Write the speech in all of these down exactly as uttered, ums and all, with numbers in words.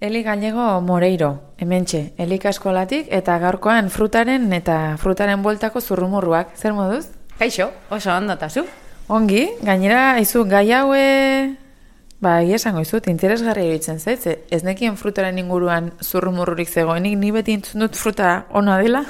Eli Gallego Moreiro, hementxe, Elika eskolatik eta gaurkoan frutaren eta frutaren bueltako zurrumurruak. Zer moduz? Kaixo, oso ondo eta zu? Ongi, gainera, izu, gai haue, ba, esango izut, interesgarria iruditzen zait, ze ez nekien frutaren inguruan zurrumurrurik zegoenik, ni beti entzun dut fruta ona dela.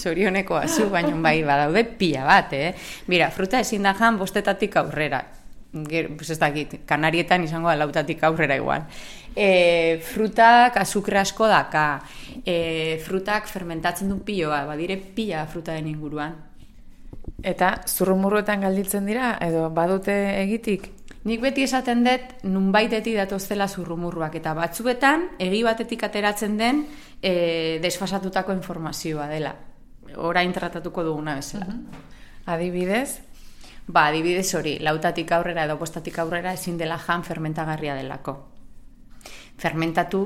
Zorionekoa zu, baina bai badaude pila bat, eh? Mira, fruta ezin da jan bostetatik aurrera. Ger, pues ez dakit, Kanarietan izango da lautatik aurrera igual. E, frutak azukre asko daka, e, frutak fermentatzen duen piloa, badire pila frutaren inguruan. Eta zurrumurruetan galditzen dira, edo badute egitik? Nik beti esaten dut, nunbaitetik datoztela zurrumurruak, eta batzuetan, egi batetik ateratzen den e, desfasatutako informazioa dela. Orain tratatuko duguna bezala. Uh-huh. Adibidez? Ba, adibidez hori, lautatik aurrera edo bostatik aurrera ezin dela jan fermentagarria delako. Fermentatu,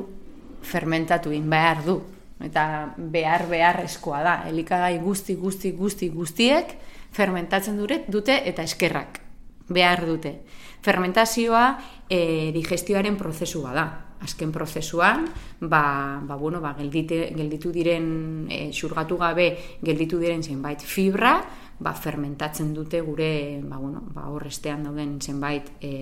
fermentatu in behar du. Eta behar beharrezkoa da. Elikagai guzti, guzti, guzti, guztiek fermentatzen dute eta eskerrak behar dute. Fermentazioa e, digestioaren prozesua da. Azken prozesuan, ba, ba, bueno, ba, geldite, gelditu diren, e, xurgatu gabe gelditu diren zenbait fibra, ba, fermentatzen dute gure, ba, bueno, ba, horrestean dauden zenbait e,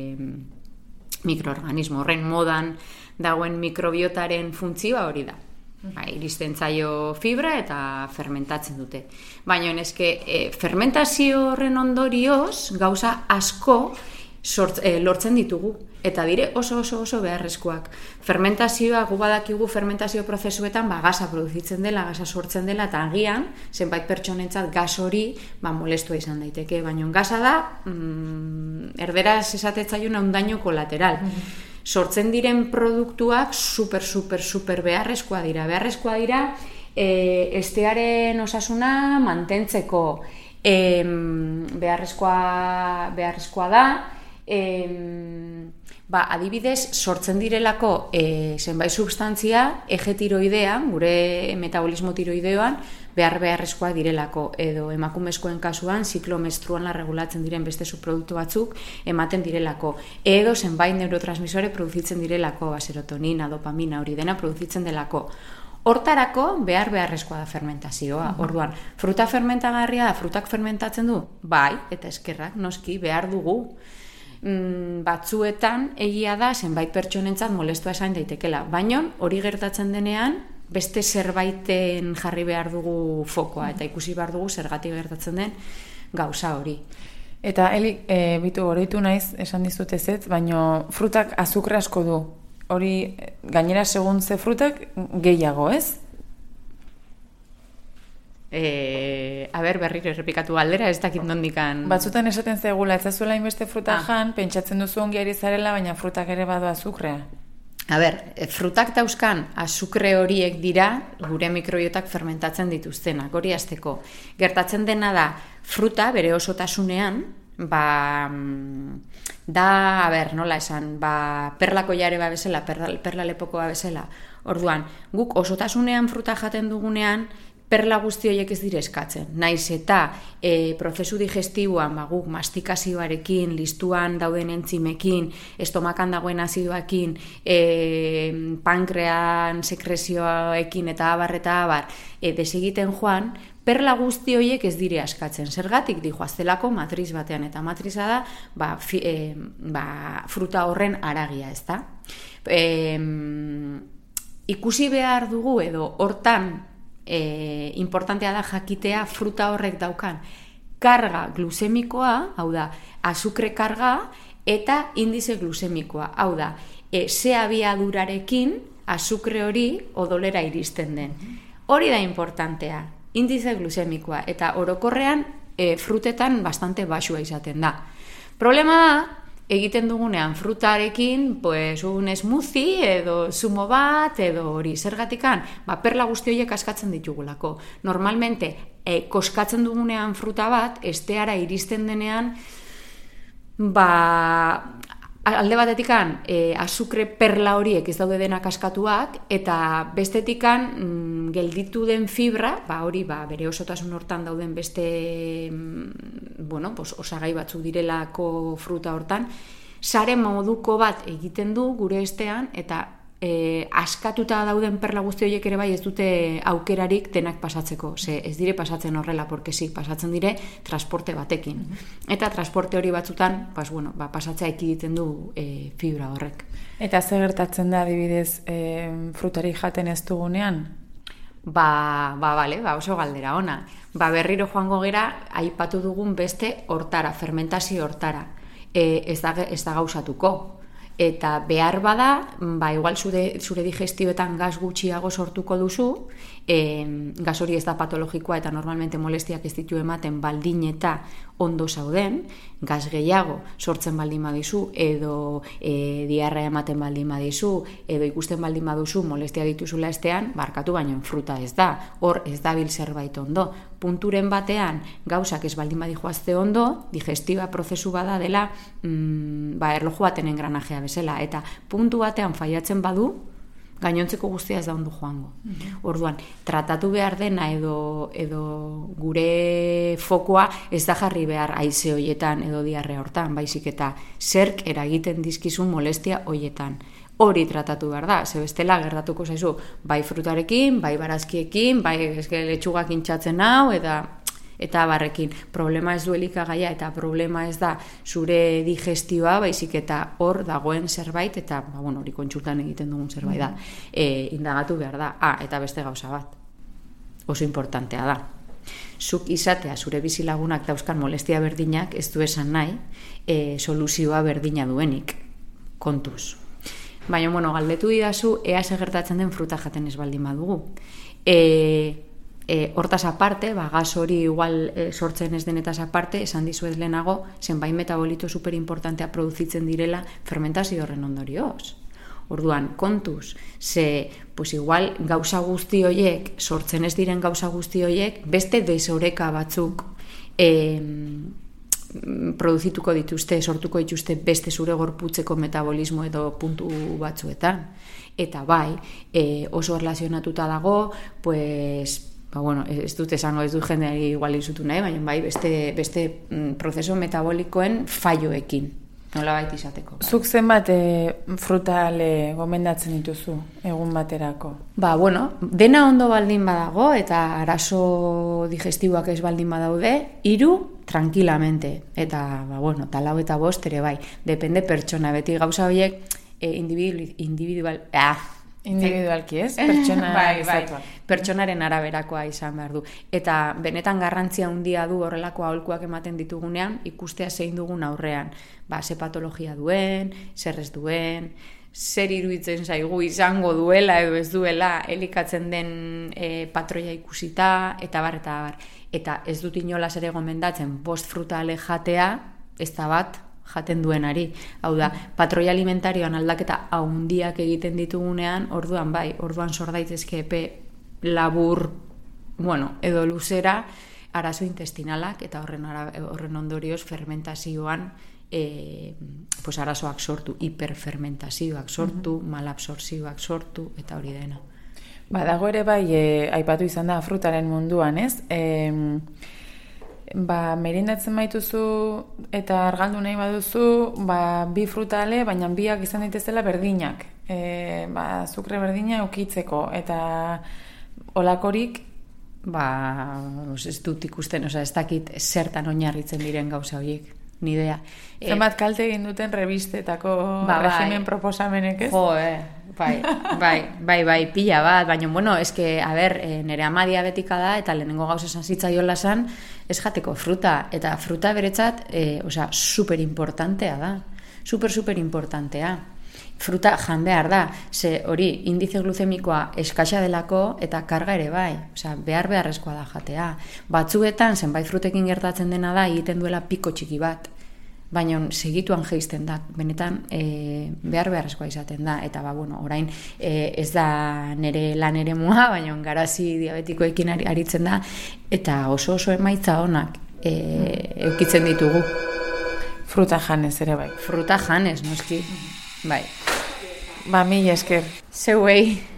mikroorganismo. Horren modan dagoen mikrobiotaren funtzioa hori da. Ba, iristen zaio fibra eta fermentatzen dute. Baina eske, e, fermentazio horren ondorioz gauza asko sort, e, lortzen ditugu. Eta dire oso oso oso beharrezkoak. Fermentazioa, gu badakigu fermentazio prozesuetan ba, gaza produzitzen dela, gaza sortzen dela, eta agian, zenbait pertsonentzat gas hori ba, molestua izan daiteke. Baina gaza da, mm, erderaz esatetzaiona un daño kolateral. Mm-hmm. Sortzen diren produktuak super, super, super beharrezkoa dira. Beharrezkoa dira, e, estearen osasuna mantentzeko. E, beharrezkoa, beharrezkoa da, e, ba, adibidez, sortzen direlako e, zenbait substantzia, eje tiroidean, gure metabolismo tiroideoan, behar beharrezkoa direlako, edo emakumezkoen kasuan ziklo menstruala regulatzen diren beste subproduktu batzuk ematen direlako, edo zenbait neurotransmisore produzitzen direlako, ba, serotonina, dopamina, hori dena produzitzen delako. Hortarako behar beharrezkoa da fermentazioa. Uh-huh. Orduan, fruta fermentagarria da, frutak fermentatzen du? Bai, eta eskerrak, noski, behar dugu. Mm, batzuetan egia da zenbait pertsonentzat molestua esan daitekela, baina hori gertatzen denean beste zerbaiten jarri behar dugu fokoa eta ikusi behar dugu zergatik gertatzen den gauza hori. Eta Eli, e, bitu oroitu naiz esan dizut ezetz, baina frutak azukre asko du. Hori gainera segun ze frutak gehiago, ez? E, a ber, berriro errepikatu galdera, ez dakit nondikan... Batzutan esaten zegula, ez zazuela inbeste fruta ah. jan, pentsatzen duzu ongi ari zarela, baina frutak ere badu azukrea. A ber, frutak dauzkan azukre horiek dira gure mikrobiotak fermentatzen dituztenak, hori hasteko. Gertatzen dena da, fruta bere osotasunean, ba, da, a ber, nola esan, ba, perlako jare ba bezala, perla, perla lepoko ba bezala. Orduan, guk osotasunean fruta jaten dugunean, perla guzti horiek ez dire eskatzen. Naiz eta e, prozesu digestiboan ba, guk mastikazioarekin, listuan dauden entzimekin, estomakan dagoen azidoakin, e, pankrean sekrezioekin eta abar eta abar e, desegiten joan, perla guzti horiek ez dire askatzen. Zergatik dijoaztelako matriz batean, eta matriza da ba, fi, e, ba, fruta horren aragia, ez da? E, ikusi behar dugu edo hortan E, importantea da jakitea fruta horrek daukan karga glusemikoa, hau da, azukre karga eta indize glusemikoa, hau da, e, ze abiadurarekin azukre hori odolera iristen den. Hori da importantea, indize glusemikoa, eta orokorrean e, frutetan bastante baxua izaten da. Problema da, egiten dugunean frutarekin, pues, un smoothie edo zumo bat edo hori zergatikan, ba, perla guzti horiek askatzen ditugulako. Normalmente, e, koskatzen dugunean fruta bat, esteara iristen denean, ba, alde batetikan e, azukre perla horiek ez daude denak askatuak, eta bestetikan mm, gelditu den fibra, ba, hori ba, bere osotasun hortan dauden beste mm, bueno, pues, osagai batzuk direlako fruta hortan, sare moduko bat egiten du gure estean, eta e, askatuta dauden perla guzti horiek ere bai ez dute aukerarik denak pasatzeko, ze ez dire pasatzen horrela, porque sí, pasatzen dire transporte batekin. Eta transporte hori batzutan, pues, bueno, ba, pasatzea ekiditen du e, fibra horrek. Eta ze gertatzen da adibidez e, frutari jaten ez dugunean? Ba, ba, bale, ba, oso galdera ona. Ba, berriro joango gera, aipatu dugun beste hortara, fermentazio hortara. E, ez, da, ez da gauzatuko. Eta behar bada, ba, igual zure, zure digestioetan gaz gutxiago sortuko duzu, e, gaz hori ez da patologikoa eta normalmente molestiak ez ditu ematen baldin eta ondo zauden, gaz gehiago sortzen baldin badizu, edo e, diarrea ematen baldin badizu, edo ikusten baldin baduzu molestia dituzula estean, barkatu baino fruta ez da, hor ez dabil zerbait ondo. Punturen batean gauzak ez baldin badijoazte ondo, digestiba prozesu bada dela mm, ba, erloju baten engranajea bezala, eta puntu batean faiatzen badu, gainontzeko guztia ez da ondo joango. Mm-hmm. Orduan, tratatu behar dena edo, edo gure fokoa ez da jarri behar haize hoietan edo diarrea hortan, baizik eta zerk eragiten dizkizun molestia hoietan. Hori tratatu behar da, ze bestela gertatuko zaizu, bai frutarekin, bai barazkiekin, bai eske letxugak intxatzen hau, eta eta barrekin. Problema ez du elikagaia eta problema ez da zure digestioa, baizik eta hor dagoen zerbait, eta ba, bueno, hori kontsultan egiten dugun zerbait da. E, indagatu behar da. Ah, eta beste gauza bat. Oso importantea da. Zuk izatea zure bizilagunak dauzkan molestia berdinak ez du esan nahi e, soluzioa berdina duenik. Kontuz. Baina, bueno, galdetu didazu, ea ze gertatzen den fruta jaten ez baldin badugu. E, e, hortaz aparte, ba, gaz hori igual e, sortzen ez denetaz aparte, esan dizuet lehenago, zenbait metabolito superimportantea produzitzen direla fermentazio horren ondorioz. Orduan, kontuz, ze, pues igual, gauza guzti horiek, sortzen ez diren gauza guzti horiek, beste desoreka batzuk e, produzituko dituzte, sortuko dituzte beste zure gorputzeko metabolismo edo puntu batzuetan. Eta bai, e, oso erlazionatuta dago, pues, ba, bueno, ez dut esango, ez dut jendeari igual izutu nahi, baina bai, beste, beste mm, prozeso metabolikoen falloekin, nola baita izateko. Bai. Zuk zenbat e, frutale gomendatzen dituzu egun baterako? Ba, bueno, dena ondo baldin badago eta arazo digestiboak ez baldin badaude, hiru tranquilamente, eta, ba, bueno, talau eta bost ere bai, depende pertsona, beti gauza horiek e, individual, individual, ah, individualki ez, pertsona bai, bai, pertsonaren araberakoa izan behar du. Eta benetan garrantzia handia du horrelako aholkuak ematen ditugunean, ikustea zein dugun aurrean, ba, ze patologia duen, zer ez duen, zer iruditzen zaigu izango duela edo ez duela, elikatzen den e, patroia ikusita, eta bar, eta bar. Eta ez dut inolaz ere gomendatzen bost frutale jatea, ez da bat jaten duenari. Hau da, patroia alimentarioan aldaketa haundiak egiten ditugunean, orduan bai, orduan sor daitezke epe labur, bueno, edo luzera, arazo intestinalak, eta horren, ara, horren ondorioz fermentazioan e, pues arazoak sortu, hiperfermentazioak sortu, mm-hmm. malabsorzioak sortu, eta hori dena. Ba, dago ere bai, e, aipatu izan da frutaren munduan, ez? E, ba, merindatzen baituzu eta argaldu nahi baduzu, ba, bi frutale, baina biak izan daitezela berdinak. E, ba, azukre berdina ukitzeko, eta olakorik, ba, ez dut ikusten, oza, ez dakit zertan oinarritzen diren gauza horiek. Ni idea. Zenbat kalte egin duten revistetako ba, regimen bai. Proposamenek, ez? Jo, eh, bai, bai, bai, bai, pila bat, baina, bueno, eske, a ber, e, nire ama diabetika da, eta lehenengo gauza esan zitzaiola zan, ez jateko fruta, eta fruta beretzat, e, osea, super importantea da, super, super importantea. Fruta jan behar da, ze hori indize gluzemikoa eskaxa delako eta karga ere bai, osea, behar beharrezkoa da jatea. Batzuetan, zenbait frutekin gertatzen dena da, egiten duela piko txiki bat, baina segituan jeisten da, benetan e, behar beharrezkoa izaten da, eta ba, bueno, orain e, ez da nere lan ere mua, baina garazi diabetikoekin ari, aritzen da, eta oso oso emaitza onak e, eukitzen ditugu. Fruta janez ere bai. Fruta janez, noski, bai. Ba, mila esker. Zeuei.